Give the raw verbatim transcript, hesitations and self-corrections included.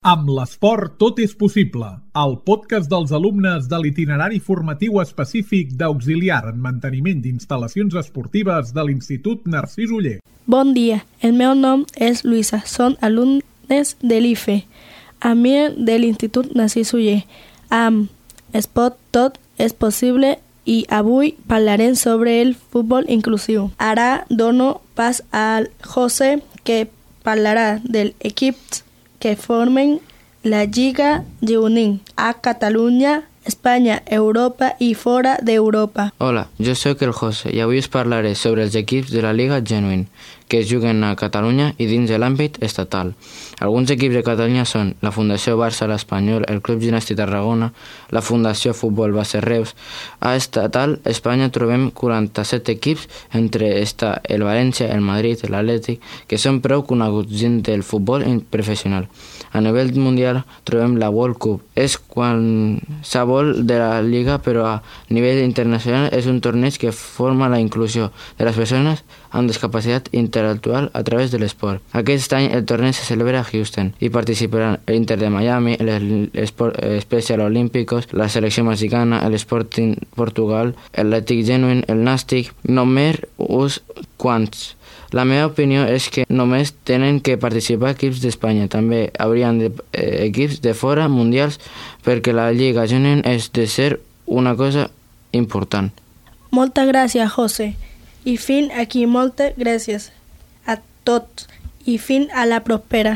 Amb l'esport tot és possible, el podcast dels alumnes de l'itinerari formatiu específic d'auxiliar en manteniment d'instal·lacions esportives de l'Institut Narcís Oller. Bon dia, el meu nom és Luisa, són alumnes de l'I F E, a mi de l'Institut Narcís Oller. Amb Esport tot és possible i avui parlarem sobre el futbol inclusiu. Ara dono pas al José, que parlarà dels equips que formen la Lliga Juvenil a Catalunya, Espanya, Europa i fora d'Europa. Hola, jo sóc el José i avui us parlaré sobre els equips de la Lliga Juvenil que es juguen a Catalunya i dins de l'àmbit estatal. Alguns equips de Catalunya són la Fundació Barça l'Espanyol, el Club Gimnàstic Tarragona, la Fundació Futbol Base Reus. A estatal Espanya trobem quaranta-set equips, entre està el València, el Madrid, l'Atlètic, que són prou coneguts dins del futbol professional. A nivell mundial trobem la World Cup. És qualsevol de la Lliga, però a nivell internacional és un torneig que forma la inclusió de les persones amb discapacitat intel·lectual a través de l'esport. Aquest any el torneig se celebra a Houston i participaran l'Inter de Miami, l'Special Olímpicos, la selecció mexicana, l'Sporting Portugal, l'Atlètic Genuine, el Nàstic, només uns quants. La meva opinió és que només tenen que participar equips d'Espanya. També haurien de, eh, equips de fora mundials perquè la Lliga Juvenil és de ser una cosa important. Moltes gràcies, José. I fins aquí moltes gràcies a tots i fins a la propera.